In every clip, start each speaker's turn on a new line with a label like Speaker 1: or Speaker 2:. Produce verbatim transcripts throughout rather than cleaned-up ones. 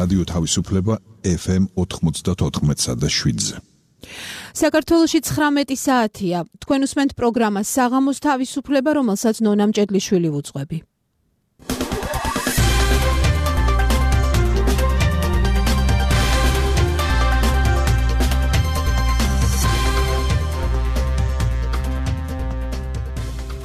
Speaker 1: რადიო თავისუფლება ეფ ემ ოთხმოცდაოთხ და შვიდზე.
Speaker 2: საქართველოში ცხრამეტი საათია. თქვენ უსმენთ პროგრამას საღამოს თავისუფლება, რომელსაც ნონა მჭედლიშვილი ვუძღვები.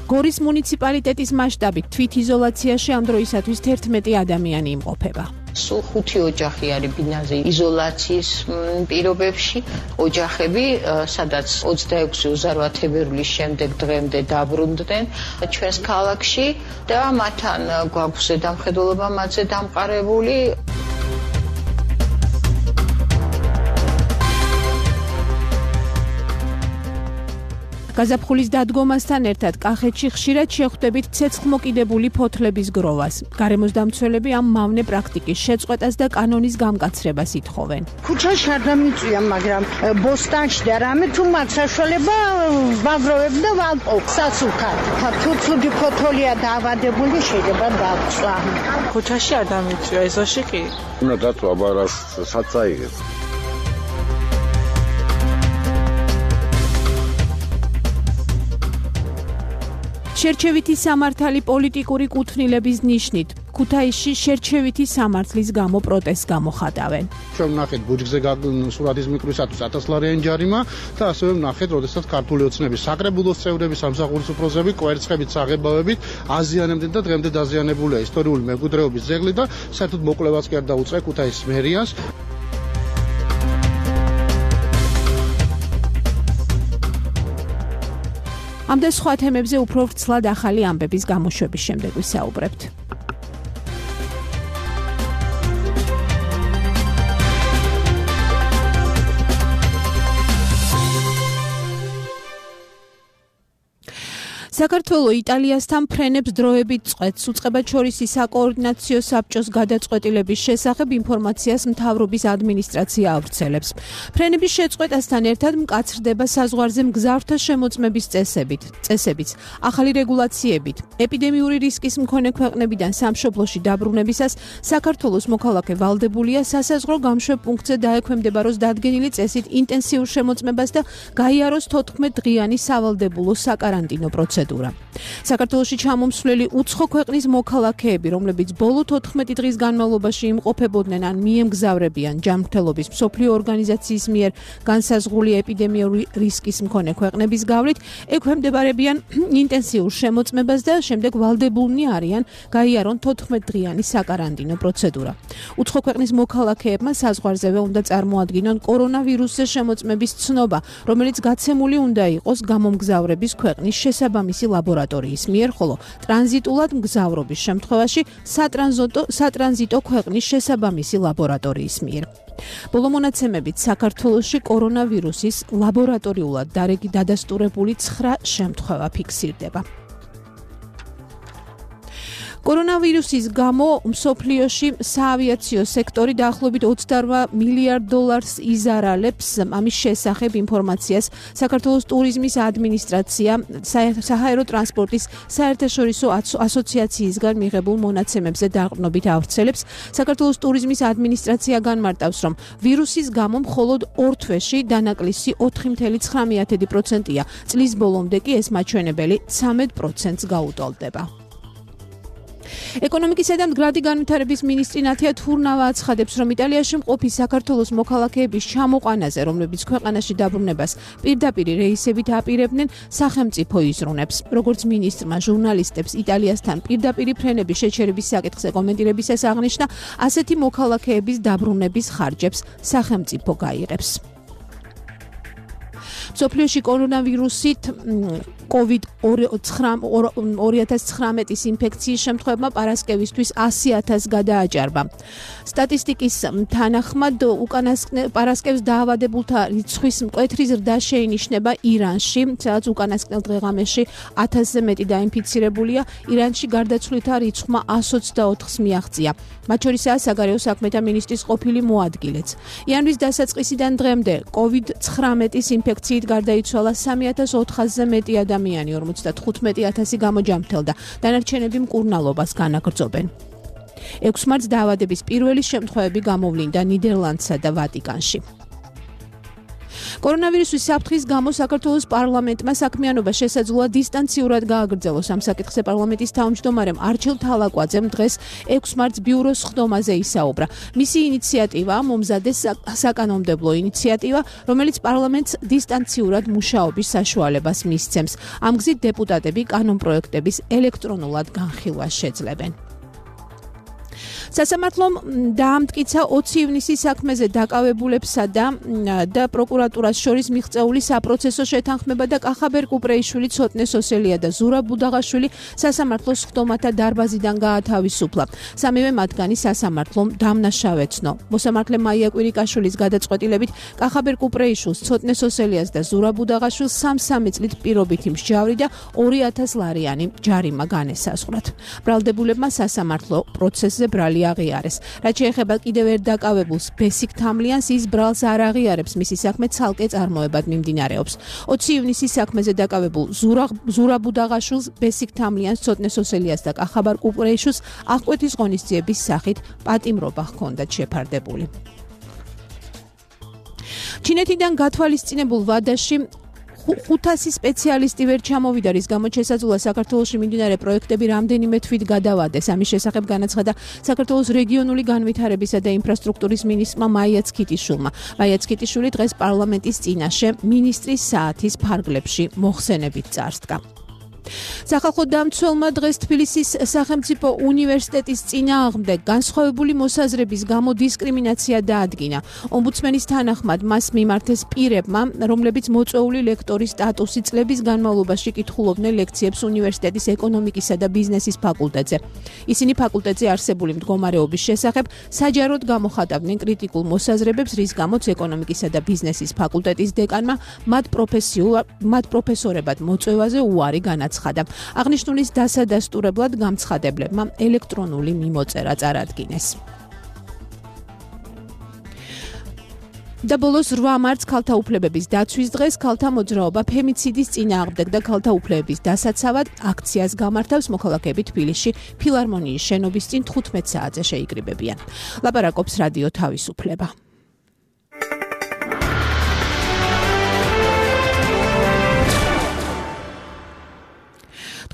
Speaker 2: გორის მუნიციპალიტეტის მასშტაბით თვითიზოლაციაში ამ დროისათვის თერთმეტი ადამიანი იმყოფება.
Speaker 3: სულ ხუთი ოჯახი არის ბინაზე იზოლაციის პირობებში. ოჯახები, სადაც ოცდაექვსი უსწრაფოების შემდეგ დღემდე დაბრუნდნენ ჩვენს ქალაქში და მათთან გვაქვს ზედამხედველობა მათზე დამყარებული.
Speaker 2: გაზაფხულის დადგომასთან ერთად კახეთში ხშირად შეხვდებით ცეცხლმოკიდებული ფოთლების გროვას. გარემოს დამცველები ამ მავნე პრაქტიკის შეწყვეტას და კანონის გამკაცრებას ითხოვენ.
Speaker 4: ქუჩაში არ დამიწვია, მაგრამ ბოსტანში და რამე თუ მათ საშუალება ვაგროვებ და ვალყო სასუქად. თუ ცუდი ფოთოლია დაავადებული შეიძლება დაწვა.
Speaker 5: ქუჩაში არ დამიწვია, ეზოში კი.
Speaker 6: უნდა დაწვა, აბა საცაიღებს.
Speaker 2: შერჩევითი სამართალი პოლიტიკური კუთვნილების ნიშნით ქუთაისში შერჩევითი სამართლის გამო პროტესტს გამოხატავენ.
Speaker 7: ჩვენ ვნახეთ ბუჯგზე სურათის მიკროსათვის ათას ლარიანი ჯარიმა და ასევე ვნახეთ, როდესაც ქართული ოცნების საკრებულოს წევრები, სამსახურის უფროსები, კვერცხებით, საღებავებით აზიანებდნენ და დღემდე დაზიანებულია ისტორიული მემკვიდრეობის ძეგლი და საერთოდ მოკვლევაც კი არ დაუწყია ქუთაისის მერიას.
Speaker 2: ამ და სხვა თემებზე უფრო ვრცლად ახალი ამბების გამოშვების შემდეგ ვისაუბრებთ. საქართველო იტალიასთან ფრენებს დროებით წყვეტს. უწყებად შორის საკოორდინაციო საბჭოს გადაწყვეტილების შესახებ ინფორმაციას მთავრობის ადმინისტრაცია ავრცელებს. ფრენების შეწყვეტასთან ერთად მკაცრდება საზღვარზე მგზავრთა შემოწმების წესებით, წესებიც, ახალი რეგულაციებით. ეპიდემიური რისკის მქონე ქვეყნებიდან სამშობლოში დაბრუნებისას საქართველოს მოქალაქე ვალდებულია სასაზღვრო გამშვებ პუნქტზე დაექვემდებაროს დადგენილი წესით ინტენსიურ შემოწმებას და გაიაროს თოთხმეტდღიანი სავალდებულო საკარანტინო პროცედურა. საქართველოში ჩამომსვლელი უცხო ქვეყნის მოქალაქეები, რომლებიც ბოლო თოთხმეტი დღის განმავლობაში იმყოფებოდნენ ან მიემგზავრებიან ჯანმრთელობის მსოფლიო ორგანიზაციის მიერ განსაზღვრული ეპიდემიური რისკის მქონე ქვეყნების გავლით, ექვემდებარებიან ინტენსიურ შემოწმებას და შემდეგ ვალდებულნი არიან გაიარონ თოთხმეტდღიანი საკარანტინო პროცედურა. უცხო ქვეყნის მოქალაქეებმა საზღვარზევე უნდა წარმოადგინონ კორონავირუსზე შემოწმების ცნობა, რომელიც გაცემული უნდა იყოს გამომგზავრების ქვეყნის შესაბამისი ლაბორატორიის მიერ, ხოლო ტრანზიტულად მგზავრობის შემთხვევაში სატრანზიტო სატრანზიტო ქვეყნის შესაბამისი ლაბორატორიის მიერ. ბოლო მონაცემებით საქართველოში კორონავირუსის ლაბორატორიულად დადასტურებული ცხრა შემთხვევა ფიქსირდება. კორონავირუსის გამო მსოფლიოში საავიაციო სექტორი დაახლოებით ოცდარვა მილიარდ დოლარს იზარალებს. ამის შესახებ ინფორმაციას საქართველოს ტურიზმის ადმინისტრაცია საჰაერო ტრანსპორტის საერთაშორისო ასოციაციისგან მიღებულ მონაცემებზე დაყრდნობით ავრცელებს. საქართველოს ტურიზმის ადმინისტრაცია განმარტავს, რომ ვირუსის გამო მხოლოდ ორ თვეში დანაკლისი ოთხი წუთი ცხრამეტი პროცენტია. წლის ბოლომდე კი ეს მაჩვენებელი ცამეტ პროცენტს გაუტოლდება. ეკონომიკისა და მდგრადი განვითარების მინისტრი ნათია თურნავა აცხადებს, რომ იტალიაში მყოფი საქართველოს მოქალაქეების ჩამოყვანაზე, რომლებიც ქვეყანაში დაბრუნებას პირდაპირ რეისებით აპირებდნენ, სახელმწიფო იზრუნებს. როგორც მინისტრმა ჟურნალისტებს იტალიასთან პირდაპირ ფრენების შეჩერების საკითხზე კომენტირებისას აღნიშნა, ასეთი მოქალაქეების დაბრუნების ხარჯებს სახელმწიფო გაიღებს. მსოფლიოში კორონავირუსით კოვიდ ორი ათას ცხრამეტის ინფექციის შემთხვევებმა პარასკევისთვის ასი ათასს გადააჭარბა. სტატისტიკის თანახმად უკანასკნელ პარასკევს დაავადებულთა რიცხვის მკვეთრი ზრდა შეინიშნება ირანში, სადაც უკანასკნელ დღეღამეში ათასზე მეტი დაინფიცირებულია. ირანში გარდაცვლილთა რიცხვმა ას ოცდაოთხს მიაღწია. მათ შორისაა საგარეო საქმეთა მინისტრის ყოფილი მოადგილეც. იანვრის დასაწყისიდან დღემდე კოვიდ ცხრამეტის ინფექციით გარდაიცვალა სამი ათას ოთხასზე მეტი ადამიანი, ორმოცდათხუთმეტი ათასი გამოჯამრთელდა. დანარჩენები მკურნალობას განაგრძობენ. ექვსი მარტს დაავადების პირველი შემთხვევები გამოვლინდა ნიდერლანდსა და ვატიკანში. კორონავირუსის საფრთხის გამო საქართველოს პარლამენტმა საქმიანობა შესაძლოა დისტანციურად გააგრძელოს. ამ საკითხზე პარლამენტის თავმჯდომარემ არჩილ თალაკვაძემ დღეს ექვსი მარტს ბიუროს ხდომაზე ისაუბრა. მისი ინიციატივაა მომზადეს საკანონმდებლო ინიციატივა, რომელიც პარლამენტს დისტანციურად მუშაობის საშუალებას მისცემს. ამ გზით დეპუტატები კანონპროექტების ელექტრონულად განხილვას შეძლებენ. სასამართლომ დაამტკიცა ოცი ივნისის საქმეზე დაკავებულებსა და და პროკურატურას შორის მიღწეული საპროცესო შეთანხმება და კახაბერ კუპრეიშვილი, ცოტნე სოსელია და ზურაბ ბუდაღაშვილი სასამართლოს ხდომათა დარბაზიდან გაათავისუფლა. სამივე მათგანი სასამართლომ დამნაშავეცნო. მოსამართლე მაია კვირიკაშვილის გადაწყვეტილებით კახაბერ კუპრეიშვილს, ცოტნე სოსელიას და ზურაბ ბუდაღაშვილს სამ-სამი წლით პირობითი მსჯავრი და ორი ათას ლარიანი ჯარიმა განესაზღვრათ. ბრალდებულებმა სასამართლო პროცესზე ბრალი აღიარეს. რაც შეეხება კიდევ ერთ დაკავებულს, ბესიკ თამლიანს, ის ბრალს არ აღიარებს, მისი საქმე ცალკე წარმოებად მიმდინარეობს. ოცი ივნისის საქმეზე დაკავებულ ზურაბ ბუდაღაშვილს, ბესიკ თამლიანს, ცოტნე სოსელიას და კახაბერ კუპრეიშვილს აღკვეთის ღონისძიების სახით პატიმრობა ჰქონდათ შეფარდებული. ჩინეთიდან გათვალისწინებულ ვადაში ხუთასი სპეციალისტი ვერ ჩამოვიდა, რის გამოც შესაძლოა საქართველოში მიმდინარე პროექტები რამდენიმე თვით გადავადეს. ამის შესახებ განაცხადა საქართველოს რეგიონული განვითარებისა და ინფრასტრუქტურის მინისტრმა მაია ცქიტიშვილმა. მაია ცქიტიშვილი დღეს პარლამენტის წინაშე მინისტრის საათის ფარგლებში მოხსენებით წარსდგა. სახალხო დამცველმა დღეს თბილისის სახელმწიფო უნივერსიტეტის წინააღმდეგ განსხვავებული მოსაზრების გამო დისკრიმინაცია დაადგინა. ომბუდსმენის თანახმად მას მიმართეს პირებმა, რომლებიც მოწვეული ლექტორის სტატუსი წლების განმავლობაში კითხულობდნენ ლექციებს უნივერსიტეტის ეკონომიკისა და ბიზნესის ფაკულტეტზე. ისინი ფაკულტეტზე არსებული მდგომარეობის შესახებ საჯაროდ გამოხატავდნენ კრიტიკულ მოსაზრებებს, რის გამოც ეკონომიკისა და ბიზნესის ფაკულტეტის დეკანმა მათ პროფესიულ მათ პროფესორებად მოწვევაზე უარი განაცხადა. აღნიშნულის დასადასტურებლად გამცხადებლებმა ელექტრონული მიმოწერა წარადგინეს. და ბოლოს რვა მარტს ქალთა უფლებების დაცვის დღეს ქალთა მოძრაობა ფემიციდის წინააღმდეგ და ქალთა უფლებების დასაცავად აქციას გამართავს. მოქალაქეები თბილისში ფილარმონიის შენობის წინ თხუთმეტ საათზე შეიკრიბებიან. ლაპარაკობს რადიო თავისუფლება.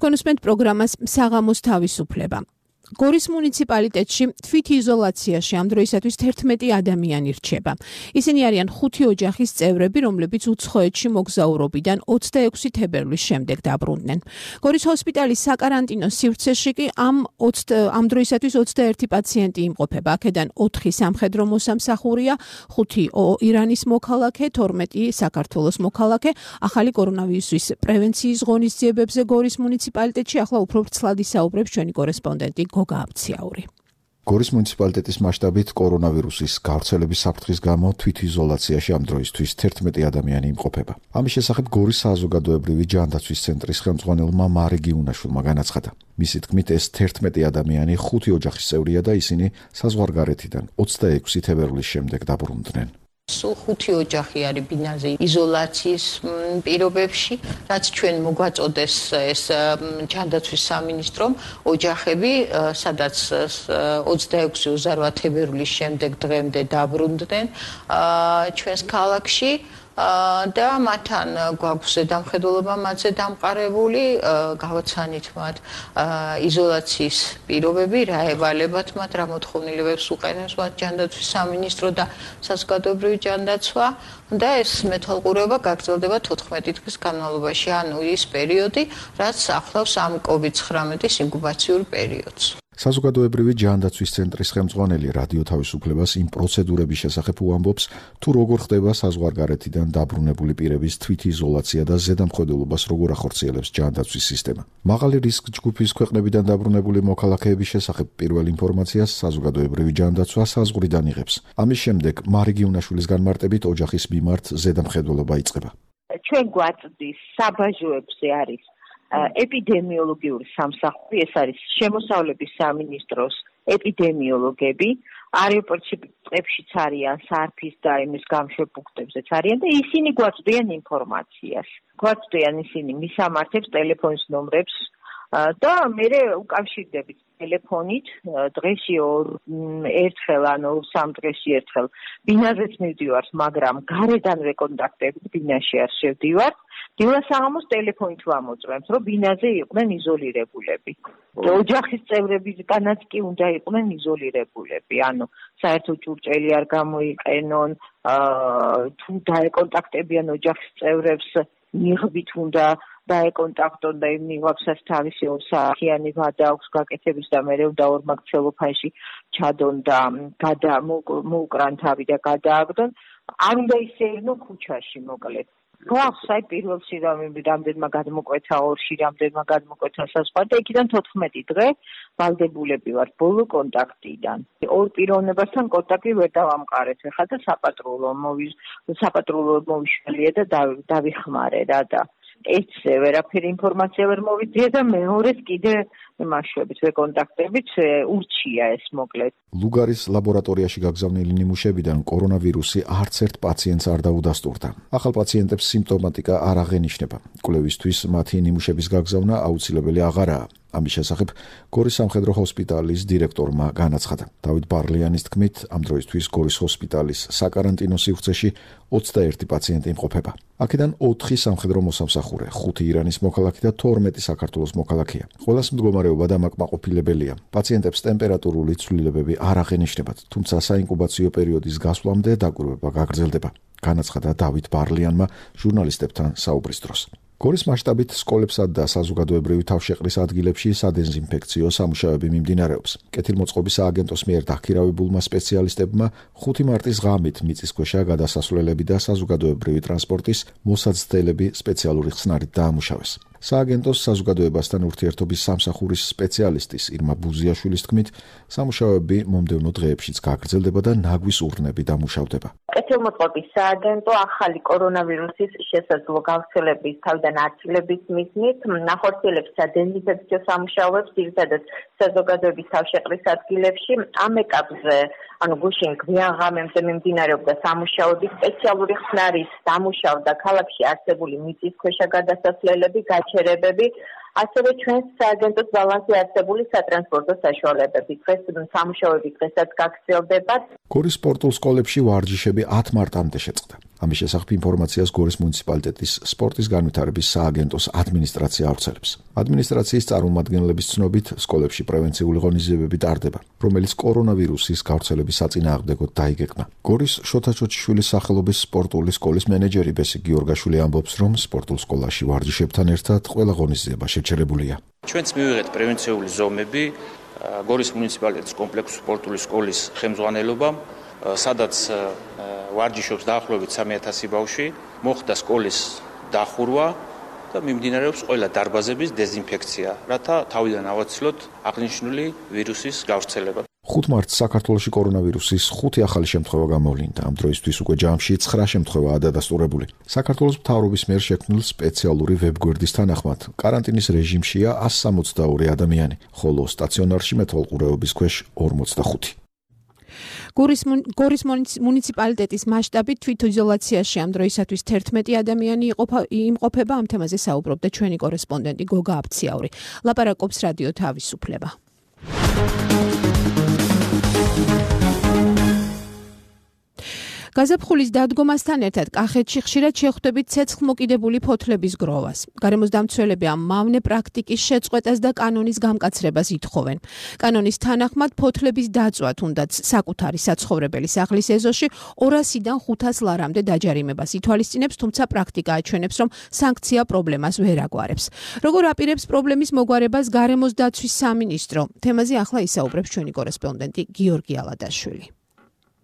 Speaker 2: კონსპენდ პროგრამას საღამოს თავისუფლება. გორის მუნიციპალიტეტში თვითიზოლაციაში ამ დროისათვის თერთმეტი ადამიანი რჩება. ისინი არიან ხუთი ოჯახის წევრები, რომლებიც უცხოეთში მოგზაურობიდან ოცდაექვსი თებერვლის შემდეგ დაბრუნდნენ. გორის ჰოსპიტალის საკარანტინო სივრცეში კი ამ ამ დროისათვის ოცდაერთი პაციენტი იმყოფება. აქედან ოთხი სამხედრო მოსამსახურეა, ხუთი ირანის მოქალაქე, თორმეტი საქართველოს მოქალაქე. ახალი კორონავირუსის პრევენციის ღონისძიებებზე გორის მუნიციპალიტეტში ახლა უფრო ვრცლად ისაუბრებს ჩვენი კორესპონდენტი გოგააბციაური.
Speaker 8: გორის მუნიციპალიტეტის მასშტაბით კორონავირუსის გავრცელების საფრთხის გამო თვითიზოლაციაში ამ დროისთვის თერთმეტი ადამიანი იმყოფება. ამის შესახებ გორის საზოგადოებრივი ჯანდაცვის ცენტრის ხელმძღვანელმა მარი გიუნაშვილმა განაცხადა. მისი თქმით, ეს თერთმეტი ადამიანი ხუთი ოჯახის წევრია და ისინი საზღვარგარეთიდან ოცდაექვსი თებერვლის შემდეგ დაბრუნდნენ.
Speaker 3: სულ ხუთი ოჯახი არის ბინაზე იზოლაციის პირობებში, რაც ჩვენ მოგვაწოდეს ეს ჯანდაცვის სამინისტრომ ოჯახები, სადაც ოცდაექვსი ოცდაოთხ თებერვლის შემდეგ დღემდე დაბრუნდნენ ჩვენს ქალაქში. და მათთან გვაქვს ზედამხედველობა მათზე დამყარებული, გავაცანით მათ იზოლაციის პირობები, რა ევალებათ მათ, რა მოთხოვნილებებს უყენებს მათ ჯანდაცვის სამინისტრო და საზოგადოებრივი ჯანდაცვა და ეს მეთვალყურეობა გაგრძელდება თოთხმეტი დღის განმავლობაში, ანუ ის პერიოდი, რაც ახლავს ამ კოვიდ ცხრამეტის ინკუბაციურ პერიოდს.
Speaker 8: საზოგადოებრივი ჯანდაცვის ცენტრის ხელმძღვანელი რადიო თავისუფლებას იმ პროცედურების შესახებ უამბობს, თუ როგორ ხდება საზღვარგარეთიდან დაბრუნებული პირების თვითიზოლაცია და ზედამხედველობას როგორ ახორციელებს ჯანდაცვის სისტემა. მაღალი რისკ ჯგუფის ქვეყნებიდან დაბრუნებული მოქალაქეების შესახებ პირველ ინფორმაციას საზოგადოებრივი ჯანდაცვა საზღვრიდან იღებს. ამის შემდეგ მარი გიუნაშვილის განმარტებით ოჯახის მიმართ ზედამხედველობა იწყება.
Speaker 9: ჩვენ გვაწვდის საბაჟოებზე არის ეპიდემიოლოგიური სამსახური, ეს არის შემოსავლების სამინისტროს ეპიდემიოლოგები, აეროპორტებშიც არიან, სარფის და იმის გამშვებ პუნქტებზეც არიან და ისინი გვაწვდიან ინფორმაციას. გვაწვდიან ისინი მისამართებს, ტელეფონის ნომრებს, და მე უკავშირდებით ტელეფონით დღეში ერთხელ ანუ სამ დღეში ერთხელ ბინაზეც მივდივარ, მაგრამ გარედანვე კონტაქტებით ბინაში არ შევდივარ. დილა საღამოს ტელეფონით ვამოწმებთ, რომ ბინაზე იყვნენ იზოლირებულები. ოჯახის წევრებისგანაც კი უნდა იყვნენ იზოლირებულები. ანუ საერთო ჭურჭელი არ გამოიყენონ, თუ დაეკონტაქტებიან ოჯახის წევრებს, მიღბით უნდა დაეკონტაქტონ და იმ მიღბასაც თავისი ორ საათიანი ვადა აქვს გაკეთების და მე უნდა ორმაგ ცელოფანში ჩადონ და გადა მოუკრან თავი და გადააგდონ. არ უნდა ისეირნო ქუჩაში მოკლედ. გვაქვს აი პირველ სირამები რამდენმა გადმოკვეთა ორში, რამდენმა გადმოკვეთა საზღვარგარეთ და იქიდან თოთხმეტი დღე ვალდებულები ვართ ბოლო კონტაქტიდან. ორ პიროვნებასთან კონტაქტი ვერ დავამყარეთ ხა და საპატრულო მოვის საპატრულო მოვიშველია და დავიხმარე რა და ერთზე ვერაფერი ინფორმაცია ვერ მოვიძიე და მეორეს კიდე იმაშვებით ვეკონტაქტებით ურჩია ეს მოკლედ.
Speaker 8: ლუგარის ლაბორატორიაში გაგზავნილი ნიმუშებიდან კორონავირუსი არც ერთ პაციენტს არ დაუდასტურდა. ახალ პაციენტებს სიმპტომატიკა არ აღენიშნება. კვლევისთვის მათი ნიმუშების გაგზავნა აუცილებელი აღარაა. ამის შესახებ გორის სამხედრო ჰოსპიტალის დირექტორმა განაცხადა. დავით ბარლიანის თქმით, ამ დროისთვის გორის ჰოსპიტალის საკარანტინო სივრცეში ოცდაერთი პაციენტი იმყოფება. აქედან ოთხი სამხედრო მოსამსახურე, ხუთი ირანის მოქალაქე და თორმეტი საქართველოს მოქალაქეა. ყველას მდგომარეობა დამაკმაყოფილებელია. პაციენტებს ტემპერატურული ცვლილებები არ აღენიშნებათ, თუმცა საინკუბაციო პერიოდის გასვლამდე დაკვირვება გაგრძელდება. განაცხადა დავით ბარლიანმა ჟურნალისტებთან საუბრის დროს. გორის მასშტაბით სკოლებსა და საზოგადოებრივი თავშეყრის ადგილებში სადეზინფექციო სამუშაოები მიმდინარეობს. კეთილმოწყობის სააგენტოს მიერ დაქირავებულმა სპეციალისტებმა ხუთი მარტის ღამით მიწისქვეშა გადასასვლელები და საზოგადოებრივი ტრანსპორტის მოსაცდელები სპეციალური ხსნარით დაამუშავეს. სააგენტოს საზოგადოებასთან ურთიერთობის სამსახურის სპეციალისტის ირმა ბუზიაშვილის თქმით, სამუშაოები მომდევნო დღეებშიც გაგრძელდება და ნაგვის ურნები დამუშავდება.
Speaker 10: კეთილმოწყობის სააგენტო ახალი კორონავირუსის შესაძლო გავრცელების თავიდან აცილების მიზნით ნახორციელებს სადეზინფექციო სამუშაოებს ძირითადად საზოგადოების თავშეყრის ადგილებში. ამ ეტაპზე ანუ გუშინ გვიან ღამემდე მიმდინარეობდა სამუშაოები სპეციალური ხსნარით დამუშავდა ქალაქში არსებული მიწისქვეშა გადასასვლელები, გაჩერებები, ასევე ჩვენს სააგენტოს ბალანსი არსებული სატრანსპორტო საშუალებები. დღეს სამუშაოები დღესაც გაგრძელდება.
Speaker 8: გორის სპორტულ სკოლებში ვარჯიშები ათ მარტამდე შეწყდა. ამის შესახებ ინფორმაციას გორის მუნიციპალიტეტის სპორტის განვითარების სააგენტოს ადმინისტრაცია ავრცელებს. ადმინისტრაციის წარმომადგენლების ცნობით, სკოლებში პრევენციული ღონისძიებები ტარდება, რომელიც კორონავირუსის გავრცელების საწინააღმდეგოდ დაიგეგმა. გორის შოთა ჩოჩიშვილის სახელობის სპორტული სკოლის მენეჯერი ბესი გიორგაშვილი ამბობს, რომ სპორტულ სკოლაში ვარჯიშებთან ერთად ყველა ღონისძიება შეჩერებულია.
Speaker 11: ჩვენც მივიღეთ პრევენციული ზომები გორის მუნიციპალიტეტის კომპლექსური სპორტული სკოლის ხელმძღვანელობამ, სადაც ვარჯიშობს დაახლოებით სამი ათასი ბავშვი, მოხდა სკოლის დახურვა და მიმდინარეობს ყველა დარბაზების დეზინფექცია, რათა თავიდან ავაცილოთ აღნიშნული ვირუსის გავრცელება.
Speaker 8: ხუთ მარტს საქართველოში კორონავირუსის ხუთი ახალი შემთხვევა გამოვლინდა. ამ დროისთვის უკვე ჯამში ცხრა შემთხვევაა დადასტურებული. საქართველოს მთავრობის მიერ შექმნილ სპეციალური ვებგვერდის თანახმად, კარანტინის რეჟიმშია ას სამოცდაორი ადამიანი, ხოლო სტაციონარში მეთვალყურეობის ქვეშ ორმოცდახუთი.
Speaker 2: გორის გორის მუნიციპალიტეტის მასშტაბით თვითიზოლაციაში ამ დროისათვის თერთმეტი ადამიანი იმყოფება. ამ თემაზე საუბრობდა ჩვენი კორესპონდენტი გოგა აბციაური. ლაპარაკობს რადიო თავისუფლება. გაზაფხულის დადგომასთან ერთად კახეთში ხშირად შეხვდებით ცეცხლმოკიდებული ფოთლების გროვას. გარემოსდამცველები ამ მავნე პრაქტიკის შეწყვეტას და კანონის გამკაცრებას ითხოვენ. კანონის თანახმად ფოთლების დაწვა თუნდაც საკუთარი საცხოვრებელი სახლის ეზოში ორასიდან ხუთას ლარამდე დაჯარიმებას ითვალისწინებს, თუმცა პრაქტიკა აჩვენებს, რომ სანქცია პრობლემას ვერ აგვარებს. როგორ აპირებს პრობლემის მოგვარებას გარემოსდაცვის სამინისტრო? თემაზე ახლა ისაუბრებს ჩვენი კორესპონდენტი გიორგი ალადაშვილი.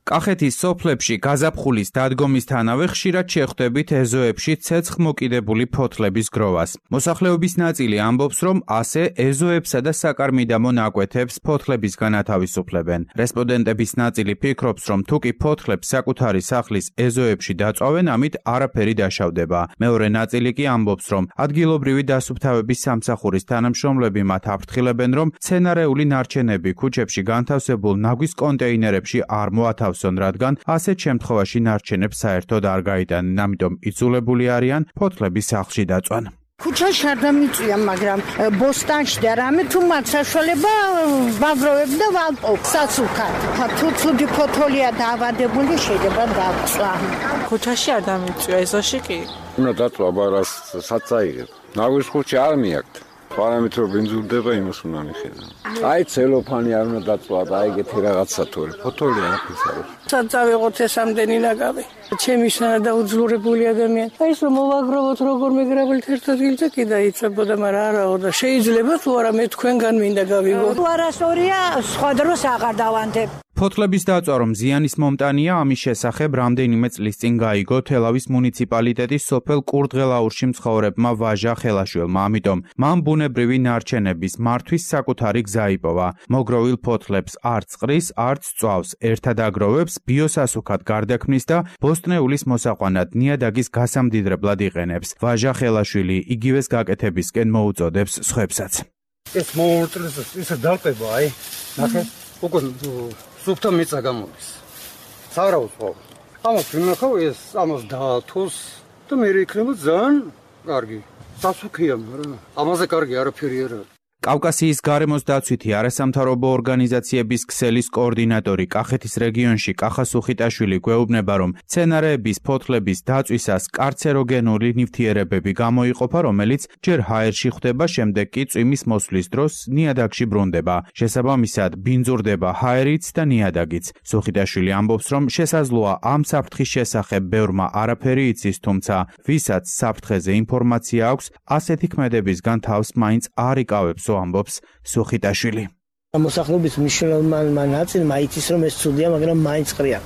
Speaker 12: კახეთის სოფლებში გაზაფხულის დადგომისთანავე ხშირად შეხვდებით ეზოებში ცეცხლმოკიდებული ფოთლების გროვას. მოსახლეობის ნაწილი ამბობს, რომ ასე ეზოებსა და საკარმიდამო ნაკვეთებს ფოთლების განათავისუფლებენ. რესპონდენტების ნაწილი ფიქრობს, რომ თუკი ფოთლებს საკუთარი სახლის ეზოებში დაწვავენ, ამით არაფერი დაშავდება. მეორე ნაწილი კი ამბობს, რომ ადგილობრივი დასუფთავების სამსახურის თანამშრომლები მათ აფრთხილებენ, რომ მცენარეული ნარჩენები ქუჩებში განთავსებულ ნაგვის კონტეინერებში არ მოათავსებენ, რადგან ასეთ შემთხვევაში ნარჩენებს საერთოდ არ გაიტანენ, ამიტომ იძულებული არიან ფოთლების სახლში დაწვან.
Speaker 4: ქუჩაში არ დამიწვია, მაგრამ ბოსტანში და რამე თუ მათ საშუალება ვაგროვებ და ვამპობ სასუქად. თუ ცუდი ფოთოლია დაავადებული შეიძლება დაწვა.
Speaker 5: ქუჩაში არ დამიწვია, ეზოში კი.
Speaker 6: უნდა დაწვა, აბარას საწაიღებ. ნაგვის ხუთი არ მიაქვს. პარამით რომ ბინძურდება იმას უნდა მიხედა. აი ცელოფანი არ უნდა დაწვა და აი ეგეთი რაღაცა თორე ფოთოლი არ ფისაროს.
Speaker 13: საწავიღოთ ეს ამდენი ნაგავი. ჩემი შანა და უძლურებული ადამიანი. აი ეს რომ მოვაგროვოთ როგორ მეგრაბელთ ერთ ადგილზე კი დაიწებოდა, მაგრამ არაო და შეიძლება თუ არა მე თქვენგან მინდა გავიგო.
Speaker 4: თუ არასწორია, სხვა დროს აღარ დავანდებ.
Speaker 12: ფოთლების დაწვა რომ ზიანის მომტანია, ამის შესახებ რამდენიმე წლის წინ გაიგო თელავის მუნიციპალიტეტის სოფელ კურდღელაურში მცხოვრებმა ვაჟა ხელაშვილმა, ამიტომ მან ბუნებრივი ნარჩენების მართვის საკუთარი გზა იპოვა. მოგროვილ ფოთლებს არც ყრის, არც წვავს, ერთად აგროვებს, ბიოსასუქად გარდაქმნის და ბოსტნეულის მოსაყვანად ნიადაგის გასამდიდრებლად იყენებს. ვაჟა ხელაშვილი იგივეს გაკეთებისკენ მოუწოდებს სხვებსაც.
Speaker 14: ეს მოურტლის ისე დალტება, აი, ნახე, უკვე სუფთა მიწა გამოდის. სავარაუდო ხო. ამას ვინახავ ეს ამას დაათოს და მე იქნება ძალიან კარგი. სასუქია, მაგრამ ამაზე კარგი არაფერი არ არის.
Speaker 12: კავკასიის გარემოს დაცვითი არასამთავრობო ორგანიზაციების ქსელის კოორდინატორი კახეთის რეგიონში კახა სუხიტაშვილი გვეუბნება, რომ მცენარეების ფოთლების დაწვისას კარცეროგენული ნივთიერებები გამოიყოფა, რომელიც ჯერ ჰაერში ხვდება, შემდეგ კი წვიმის მოსვლის დროს ნიადაგში ბრუნდება. შესაბამისად, ბინძურდება ჰაერიც და ნიადაგიც. სუხიტაშვილი ამბობს, რომ შესაძლოა ამ საფრთხის შესახებ ბევრმა არაფერი იცის, თუმცა ვისაც საფრთხეზე ინფორმაცია აქვს, ასეთი ქმედებისგან თავს მაინც არ იკავებს, ამბობს სუხიტაშვილი.
Speaker 13: მოსახლეობის მნიშვნელოვანი ნაწილმა იცის რომ ეს ცუდია, მაგრამ მაინც ყრია.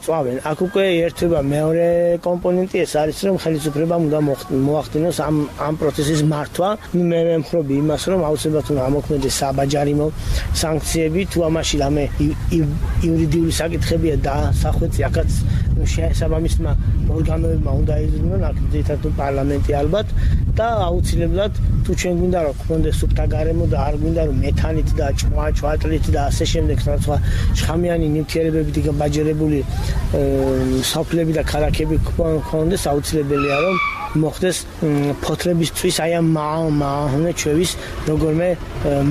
Speaker 13: წვავენ. აქ უკვე ერთვება მეორე კომპონენტი ეს არის, რომ ხელისუფლებამ უნდა მოახდინოს ამ ამ პროცესის მართვა. მე ვემხრობი იმას, რომ აუცილებლად უნდა ამოქმედდეს საბაჯარიმო სანქციები, თუ ამაში რამე იურიდიული საკითხებია დასახვეწი, აქაც შესაბამისმა ორგანოებმა უნდა იზრუნონ, აქ ძირითადად პარლამენტი ალბათ და აუცილებლად თუ ჩვენ გვინდა რომ გქონდეს სუფთა გარემო და არ გვინდა რომ მეთანით და ჭმა ჭვატლით და ასე შემდეგ სხვა შხამიანი ნივთიერებებით გაბაჯერებული საფლები და ქალაქები გქონდეს, აუცილებელია რომ მოხდეს ფოთლების წვის აი ამ მავნე ჩვევის როგორმე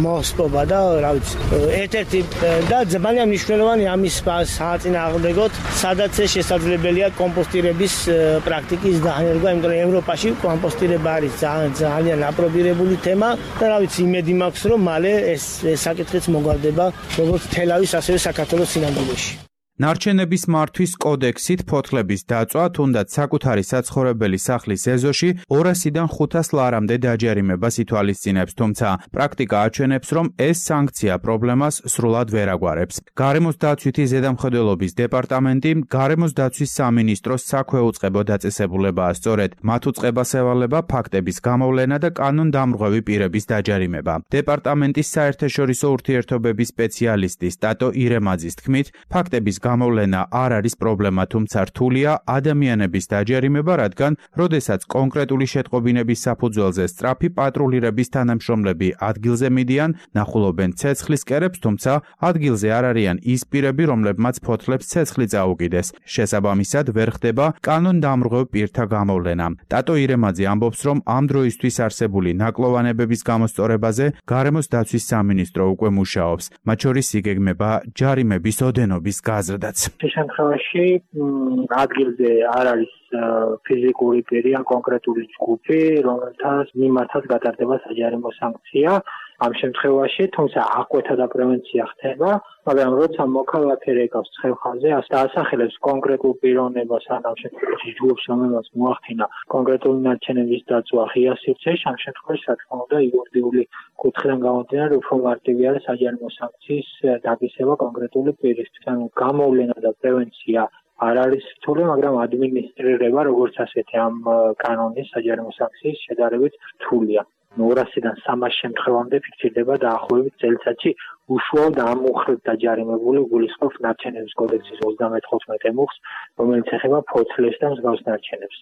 Speaker 13: მოსპობა და რა ვიცი ერთ-ერთი და ძალიან მნიშვნელოვანი ამის საწინააღმდეგოდ სადაც შესაძლებელია კომპოსტირების პრაქტიკის დანერგვა, იმიტომ რომ ევროპაში კომპოსტირება არის ძალიან აპრობირებული თემა და რა ვიცი იმედი მაქვს რომ მალე ეს საკითხიც მოგვარდება როგორც თელავის ასევე საქართველოს სინამდვილეში.
Speaker 12: ნარჩენების მართვის კოდექსით ფოთლების დაწვა თუნდაც საკუთარი საცხოვრებელი სახლის ეზოში ორასიდან ხუთას ლარამდე დაჯერიმებას ითვალისწინებს, თუმცა პრაქტიკა აჩვენებს, რომ ეს სანქცია პრობლემას სრულად ვერ აგვარებს. გარემოს დაცვითი ზედამხედველობის დეპარტამენტი გარემოს დაცვის სამინისტროს საქვეუწყებო დაწესებულებაა, სწორედ მათ უწყებას ევალება ფაქტების გამოვლენა და კანონდამრღვევი პირების დაჯარიმება. დეპარტამენტის საერთაშორისო ურთიერთობების სპეციალისტი სტატო ირემაძის თქმით, ფაქტების გამოვლენა არ არის პრობლემა, თუმცა რთულია ადამიანების დაჯერიმება, რადგან როდესაც კონკრეტული შეტყობინების საფუძველზე სწრაფი პატრულირების თანამშრომლები ადგილზე მიდიან, ნახულობენ ცეცხლის კერებს, თუმცა ადგილზე არ არიან ის პირები, რომლებმაც ფოთლებს ცეცხლი წაუკიდეს. შესაბამისად, ვერ ხდება კანონდამრღვევ პირთა გამოვლენა. ტატო ირემაძე ამბობს, რომ ამ დროისთვის არსებული ნაკლოვანებების გამოსწორებაზე გარემოს დაცვის სამინისტრო უკვე მუშაობს. მათ შორის იგეგმება ჯარიმების ოდენობის გაზრდა.
Speaker 15: შემთხვევაში ადგილზე არ არის ფიზიკური პირი ან კონკრეტული ჯგუფი, რომელთაც მიმართაც გატარდება საჯარიმო სანქცია. ამ შემთხვევაში, თუმცა აღკვეთა და პრევენცია ხდება, მაგრამ როცა მოქალაქე რეკავს ცხელხაზე, ასახელებს კონკრეტულ პიროვნებას ან ამ შემთხვევაში ჯგუფს, რომელსაც მოახდინა კონკრეტული ნარჩენების დაწვა ღია სივრცეში, ამ შემთხვევაში, რა თქმა უნდა, იურიდიული კუთხიდან გამომდინარე, უფრო მარტივი არის საჯარიმო სანქციის დაგისება კონკრეტული პირისთვის. ანუ გამოვლენა და პრევენცია არ არის რთული, მაგრამ ადმინისტრირება, როგორც ასეთი ამ კანონის საჯარიმო სანქციის შედარებით რთულია. ორასიდან სამას შემთხვევამდე ფიქსირდება დაახლოებით წელიწადში უშუალოდ ამ უხრით დაჯარიმებული გულისხმობს ნარჩენების კოდექსის ოცდამეთოთხმეტე მუხლს, რომელიც ეხება ფოთლებს და მსგავს ნარჩენებს.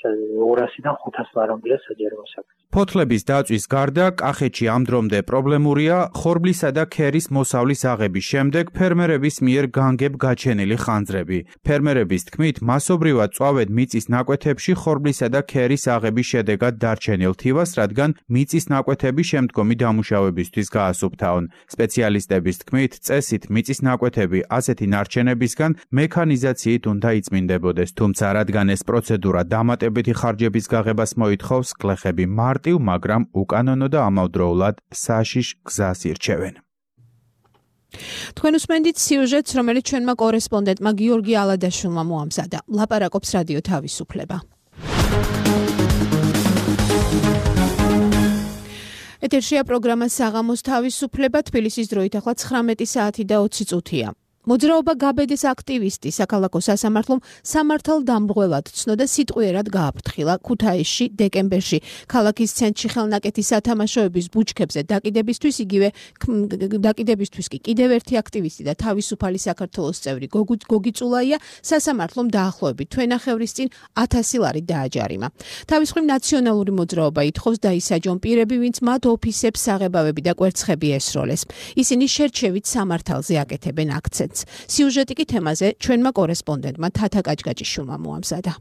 Speaker 15: ორასიდან ხუთას ლარამდეა საჯარიმო სანქცია.
Speaker 12: ფოთლების დაწვის გარდა კახეთში ამ დრომდე პრობლემურია ხორბლისა და ქერის მოსავლის აღების შემდეგ ფერმერების მიერ განგებ გაჩენილი ხანძრები. ფერმერების თქმით, მასობრივად წვავენ მიწის ნაკვეთებში ხორბლისა და ქერის აღების შედეგად დარჩენილ თივას, რადგან მიწის ნაკვეთები შემდგომი დამუშავებისთვის გაასუფთავონ. სპეციალისტების თქმით, წესით მიწის ნაკვეთები ასეთი ნარჩენებისგან მექანიზაციით უნდა იწმინდებოდეს, თუმცა რადგან ეს პროცედურა დამატებითი ხარჯების გაღებას მოითხოვს, გლეხები მარტივ, მაგრამ უკანონო და ამავდროულად საშიშ გზას ირჩევენ.
Speaker 2: თქვენ უსმენთ სიუჟეტს, რომელიც ჩვენმა კორესპონდენტმა გიორგი ალადაშვილმა მოამზადა. ლაპარაკობს რადიო თავისუფლება. ეთერშია პროგრამა საღამოს თავისუფლება, თბილისის დროით ახლა ცხრამეტი საათი და ოცი წუთია. მოძრაობა გაბედეს აქტივისტი საქალაქო სასამართლომ სამართალ დამრღვევად ცნოდა სიტყვიერად გააფრთხილა ქუთაისში დეკემბერში ქალაქის ცენტრში ხელნაკეთის სათამაშოების ბუჩქებზე დაკიდებისთვის იგივე დაკიდებისთვის კი კიდევ ერთი აქტივისტი და თავისუფალი საქართველოს წევრი გოგი წულაია სასამართლომ დაახლოებით თვენახევრის წინ ათასი ლარი დააჯარიმა. თავის მხრივ ნაციონალური მოძრაობა ითხოვს დაისაჯონ პირები, ვინც მათ ოფისებს საღებავები და კვერცხები ესროლეს. ისინი შერჩევით სამართალზე აკეთებენ აქცენტს. სიუჟეტი კი თემაზე ჩვენმა კორესპონდენტმა თათა კაჭკაჭიშვილმა მოამზადა.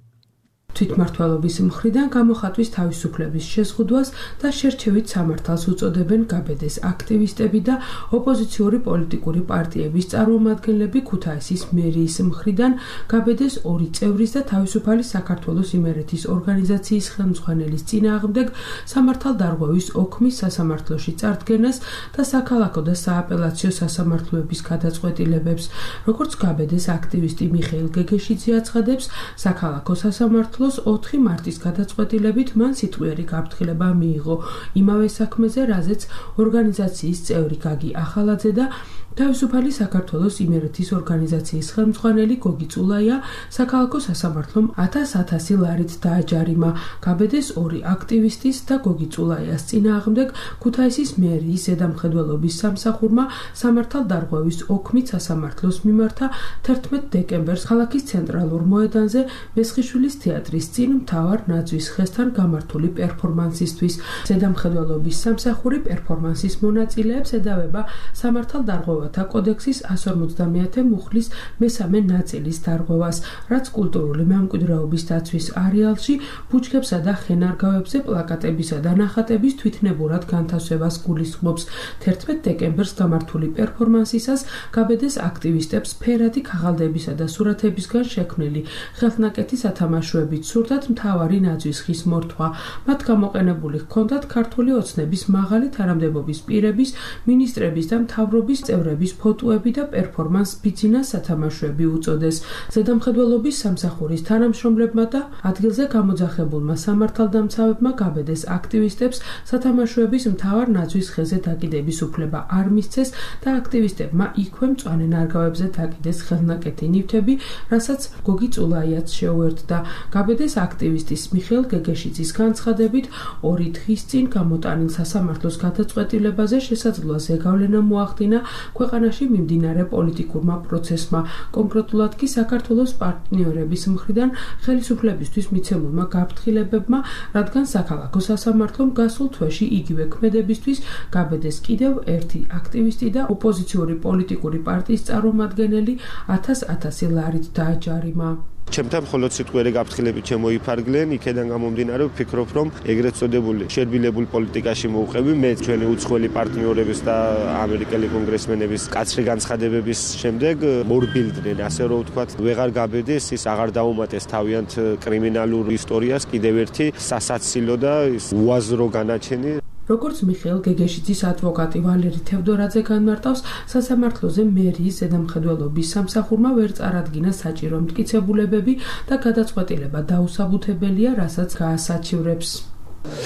Speaker 16: თვითმმართველობის მხრიდან გამოხატვის თავისუფლების შეზღუდვას და შერჩევით სამართალს უწოდებენ გაბედეს აქტივისტები და ოპოზიციური პოლიტიკური პარტიების წარმომადგენლები. ქუთაისის მერიის მხრიდან გაბედეს ორი წევრის და თავისუფალი საქართველოს იმერეთის ორგანიზაციის ხელმძღვანელის წინააღმდეგ სამართალ დარღვევის ოქმის სასამართლოში წარდგენას და საქალაქო და სააპელაციო სასამართლოების გადაწყვეტილებებს. როგორც გაბედეს აქტივისტი მიხეილ გეგეშიძე აცხადებს, საქალაქო სასამართლო ოთხი მარტის გადაწყვეტილებით მან სიტყვიერი გაფრთხილება მიიღო იმავე საქმეზე, რაზეც ორგანიზაციის წევრი გაგი ახალაძე და თავისუფალი საქართველოს იმერეთის ორგანიზაციის ხელმძღვანელი გოგი წულაია საქალაქო სასამართლომ ათას-ათასი ლარით დააჯარიმა. გაბედეს ორი აქტივისტის და გოგი წულაიას წინააღმდეგ ქუთაისის მერიის ზედამხედველობის სამსახურმა სამართალ დარღვევის ოქმით სასამართლოს მიმართა თერთმეტ დეკემბერს ქალაქის ცენტრალურ მოედანზე მესხიშვილის თეატრის წინ მთავარ ნაძვის ხესთან გამართული პერფორმანსისთვის. ზედამხედველობის სამსახური პერფორმანსის მონაწილეებს ედავება სამართალ დარღვევა კოდექსის εκατს ორმოცდამეათე მუხლის მესამე ნაწილის დარღვევას, რაც კულტურული მემკვიდრეობის დაცვის არეალში ბუჩქებსა და ხენარგავებზე პლაკატებისა და ნახატების თვითნებურად განთავსებას გულისხმობს. თერთმეტ დეკემბერს გამართული პერფორმანსისას გაბედეს აქტივისტებს ფერადი ქაღალდებისა და სურათებისგან შექმნილი ხელნაკეთი სათამაშოებით სურდათ მთავარი ნაძვის ხის მორთვა. მათ გამოყენებული ჰქონდათ ქართული ოცნების მაღალი თანამდებობის პირების, მინისტრების და მთავრობის წევრების ფოტოები და პერფორმანს ბიძინას სათამაშოები უწოდეს. ზედამხედველობის სამსახურის თანამშრომლებმა და ადგილზე გამოძახებულმა სამართალდამცავებმა გაბედეს აქტივისტებს სათამაშოების მთავარ ნაძვის ხეზე დაკიდების უფლება არ მისცეს და აქტივისტებმა იქვე მწვანე ნარგავებზე დაკიდეს ხელნაკეთი ნივთები, რასაც გოგი წულაიაც შეუერთდა. გაბედეს აქტივისტის მიხეილ გეგეშიძის განცხადებით, ორი დღის წინ გამოტანილ სასამართლოს გადაწყვეტილებაზე შესაძლოა ზეგავლენა მოახდინა ქვეყანაში მიმდინარე პოლიტიკურმა პროცესმა, კონკრეტულად კი საქართველოს პარტნიორების მხრიდან ხელისუფლებისთვის მიცემულმა გაფრთხილებებმა, რადგან საქალაქო სასამართლომ გასულ თვეში იგივე ქმედებისთვის გაბედეს კიდევ ერთი აქტივისტი და ოპოზიციური პოლიტიკური პარტიის წარმომადგენელი ათას-ათასი ლარით დააჯარიმა.
Speaker 17: ჩემთან მხოლოდ სიტყვიერი გაფრთხილებით შემოიფარგლენ, იქედან გამომდინარე ვფიქრობ, რომ ეგრეთ წოდებულ შერბილებულ პოლიტიკაში მოვყევი მე ჩვენი უცხოელი პარტნიორების და ამერიკელი კონგრესმენების კაცრი განცხადებების შემდეგ მორბილდნენ, ასე რომ ვთქვათ, ვეღარ გაბედეს, ის აღარ დაუმატეს თავიანთ კრიმინალურ ისტორიას კიდევ ერთი სასაცილო და უაზრო განაჩენი.
Speaker 16: როგორც მიხეილ გეგეშიძის ადვოკატი ვალერი თევდორაძე განმარტავს, სასამართლოზე მერიის ზედამხედველობის სამსახურმა ვერ წარადგინა საჭირო მტკიცებულებები და გადაწყვეტილება დაუსაბუთებელია, რასაც გაასაჩივრებს.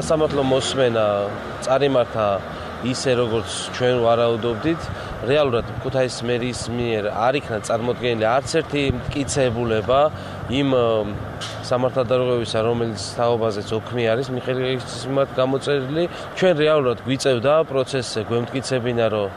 Speaker 18: სასამართლო მოსმენა წარიმართა ისე როგორც ჩვენ ვარაუდობდით, რეალურად ქუთაისის მერიის მიერ არ იქნა წარმოდგენილი არც ერთი მტკიცებულება იმ სამართალდარღვევისა, რომელიც თაობაზეც ოქმი არის მიხეილ გეგეშიძის მიმართ გამოწერილი. ჩვენ რეალურად გვიწევდა პროცესზე, გვემტკიცებინა, რომ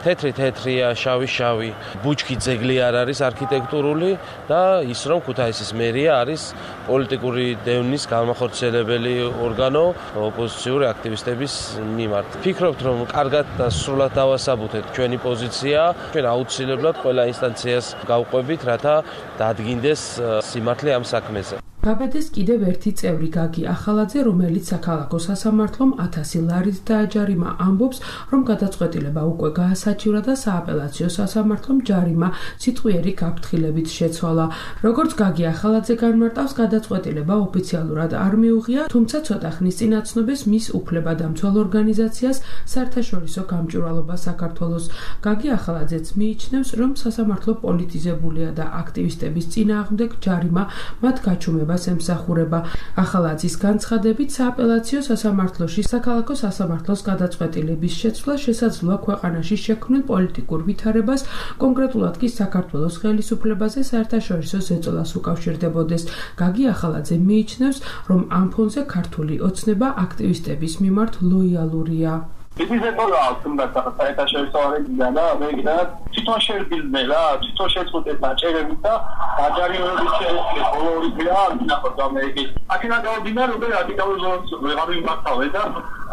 Speaker 18: თეთრი თეთრია, შავი შავი. ბუჩქი ძეგლი არ არის არქიტექტურული და ის რომ ქუთაისის მერია არის პოლიტიკური დევნის განმახორციელებელი ორგანო ოპოზიციური აქტივისტების მიმართ. Ფიქრობთ, რომ კარგად და სრულად დავასაბუთეთ ჩვენი პოზიცია, ჩვენ აუცილებლად ყველა ინსტანციას გავყვებით, რათა დადგინდეს სიმართლე ამ საქმეზე.
Speaker 16: გაბედეს კიდევ ერთი წევრი გაგი ახალაძე, რომელიც საქალაქო სასამართლომ ათასი ლარით დააჯარიმა, ამბობს, რომ გადაწყვეტილება უკვე გაასაჩივრა და სააპელაციო სასამართლომ ჯარიმა სიტყვიერი გაფრთხილებით შეცვალა. როგორც გაგი ახალაძე განმარტავს, გადაწყვეტილება ოფიციალურად არ მიუღია, თუმცა ცოტა ხნის წინ აცნობეს მის უფლებადამცველ ორგანიზაციას საერთაშორისო გამჭვირვალობა საქართველოს. გაგი ახალაძეც მიიჩნევს, რომ სასამართლო პოლიტიზებულია და აქტივისტების წინააღმდეგ ჯარიმა მათ გაჩუმებას ემსახურება. ახალაძის განცხადებით, სააპელაციო სასამართლოში საქალაქო სასამართლოს გადაწყვეტილების შეცვლა შესაძლოა ქვეყანაში შექმნილ პოლიტიკურ ვითარებას, კონკრეტულად კი საქართველოს ხელისუფლებაზე საერთაშორისო ზეწოლას უკავშირდებოდეს. გაგი ახალაძე მიიჩნევს, რომ ამ ფონზე ქართული ოცნება აქტივისტების მიმართ ლოიალურია.
Speaker 19: ఇది ზეწოლა თუნდაც საერთაშორისო არენიდან და ამერიკიდან თვითონ შეიძლება თვითონ შეწყვეტეს დაჭერებით და დაჯარიმებით შეიძლება ბოლო ორი დღეა ნახოთ ამერიკის აქედან გავდინა როგორ რადიკალურ ზონას ვეღარ მიმართავე და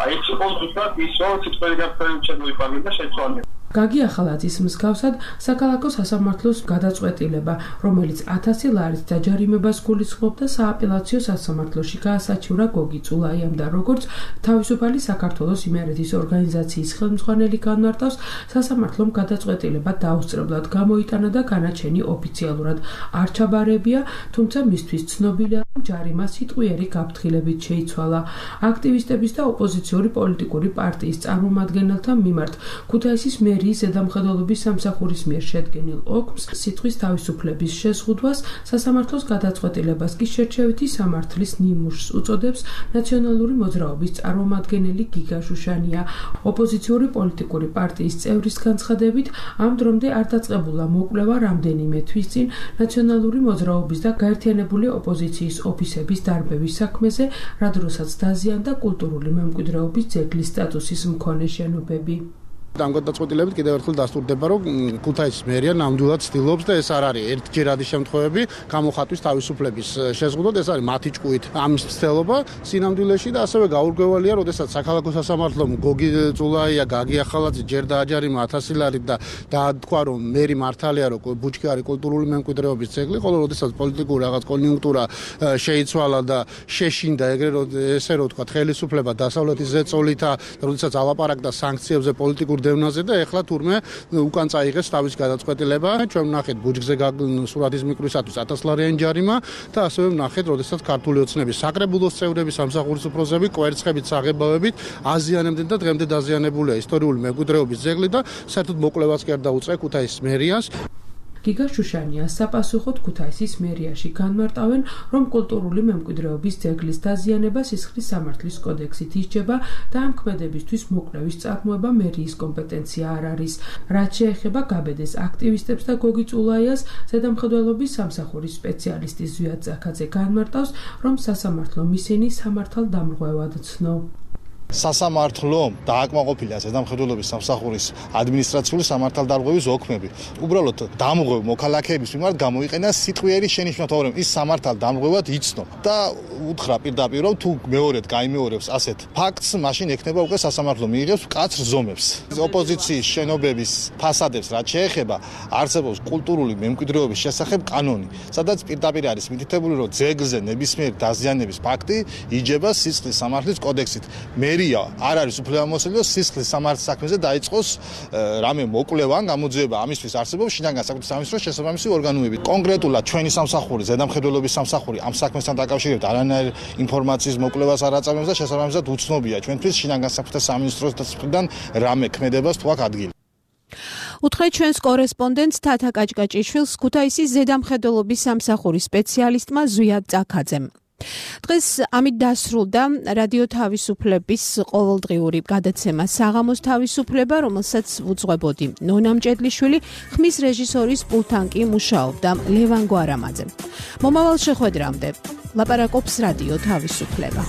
Speaker 19: აი ეს ზუსტად ის რომ სიტყველი გაფრთხილებით შემოიფარგლე და შეცვალე.
Speaker 16: გაგი ახალაძის მსგავსად საქალაქო სასამართლოს გადაწყვეტილება, რომელიც ათასი ლარით დაჯარიმებას გულისხმობდა, სააპელაციო სასამართლოში გაასაჩივრა გოგი წულაიამ და როგორც თავისუფალი საქართველოს იმერეთის ორგანიზაციის ხელმძღვანელი განმარტავს, სასამართლომ გადაწყვეტილება დაუსწრებლად გამოიტანა და განაჩენი ოფიციალურად არ ჩაბარებია, თუმცა მისთვის ცნობილია, რომ ჯარიმა სიტყვიერი გაფრთხილებით შეიცვალა. აქტივისტების და ოპოზიციური პოლიტიკური პარტიის წარმომადგენელთა მიმართ ქუთაისის მერიის ზედამხედველობის სამსახურის მიერ შედგენილ ოქმს, სიტყვის თავისუფლების შეზღუდვას, სასამართლოს გადაწყვეტილებას კი შერჩევითი სამართლის ნიმუშს უწოდებს ნაციონალური მოძრაობის წარმომადგენელი გიგა შუშანია. ოპოზიციური პოლიტიკური პარტიის წევრის განცხადებით, ამ დრომდე არ დაწყებულა მოკვლევა რამდენიმე თვის წინ ნაციონალური მოძრაობის და გაერთიანებული ოპოზიციის ოფისების დარბევის საქმეზე, რა დროსაც დაზიანდა კულტურული მემკვიდრეობის ძეგლის სტატუსის მქონე შენობები.
Speaker 7: ამ გადაწყვეტილებით კიდევ ერთხელ დასტურდება, რომ ქუთაისის მერია ნამდვილად ცდილობს და ეს არ არის ერთჯერადი შემთხვევები გამოხატვის თავისუფლების შეზღუდვად, ეს არის მათი ჭკუით ამის ცდილობა სინამდვილეში და ასევე გაურკვევალია, როდესაც საქალაქო სასამართლომ გოგი წულაია, გაგი ახალაძე ჯერ დააჯარიმა ათასი ლარით და დათქვა, რომ მერი მართალია, რომ ბუჩქი არის კულტურული მემკვიდრეობის ძეგლი, ხოლო როდესაც პოლიტიკური რაღაც კონიუნქტურა შეიცვალა და შეშინდა ეგრე ესე რომ თქვა ხელისუფლება დასავლეთის ზეწოლითა, როდესაც ალაპარაკდა სანქციებზე პოლიტიკურ დევნაზე და ეხლა თურმე უკან წაიღეს თავის გადაწყვეტილება. ჩვენ ვნახეთ ბუჯგზე სურათის მიკროსათვის ათას ლარიანი ჯარიმა და ასევე ვნახეთ, როდესაც ქართული ოცნების საკრებულოს წევრები, სამსახურის უფროსები კვერცხებით, საღებავებით აზიანებდნენ და დღემდე დაზიანებულია ისტორიული მემკვიდრეობის ძეგლი და საერთოდ მოკვლევაც კი არ დაუწყია ქუთაისის მერიას.
Speaker 16: გიგა შუშანია საპასუხოდ ქუთაისის მერიაში განმარტავენ, რომ კულტურული მემკვიდრეობის ძეგლის დაზიანება სისხლის სამართლის კოდექსით ისჯება და ამ ქმედებისთვის მოკვლევის წარმოება მერიის კომპეტენცია არ არის. რაც შეეხება გაბედეს აქტივისტებს და გოგი წულაიას, ზედამხედველობის სამსახურის სპეციალისტი ზვიად ზაქაძე განმარტავს, რომ სასამართლომ ისინი სამართალდამრღვევად ცნო.
Speaker 20: სასამართლომ დააკმაყოფილა ზედამხედველობის სამსახურის ადმინისტრაციული სამართალდამრღვევის ოქმები. უბრალოდ დამრღვევ მოქალაქეების მიმართ გამოიყენა სიტყვიერი შენიშვნა, თორემ ის სამართალდამრღვევად იცნო და უთხრა პირდაპირ, რომ თუ მეორედ გაიმეორებს ასეთ ფაქტს, მაშინ ექნება უკვე სასამართლო მიიღებს მკაცრ ზომებს. ოპოზიციის შენობების ფასადებს რაც შეეხება, არსებობს კულტურული მემკვიდრეობის შესახებ კანონი, სადაც პირდაპირ არის მითითებული, რომ ძეგლზე ნებისმიერი დაზიანების ფაქტი იჯება სისხლის სამართლის კოდექსით. მერია არ არის უფლებამოსილი სისხლის სამართლის საქმეზე დაიწყოს რამე მოკვლევა ან გამოძიება, ამისთვის არსებობს შინაგან საქმეთა სამინისტროს შესაბამისი ორგანოები. კონკრეტულად ჩვენი სამსახური, ზედამხედველობის სამსახური ამ საქმესთან დაკავშირებით არანაირ ინფორმაციის მოკვლევას არ აწარმოებს და შესაბამისად უცნობია ჩვენთვის შინაგან საქმეთა სამინისტროს მხრიდან რამე ქმედებას თუ აქვს ადგილი.
Speaker 2: უთხრეთ ჩვენს კორესპონდენტს თათა კაჭკაჭიშვილს ქუთაისის ზედამხედველობის სამსახურის სპეციალისტმა ზვიად ზაქაძემ. დღეს ამით დასრულდა რადიო თავისუფლების ყოველდღიური გადაცემა საღამოს თავისუფლება, რომელსაც უძღვებოდი ნონა მჭედლიშვილი, ხმის რეჟისორის პულტთან კი მუშაობდა ლევან გვარამაძე. მომავალ შეხვედრამდე ლაპარაკობს რადიო თავისუფლება.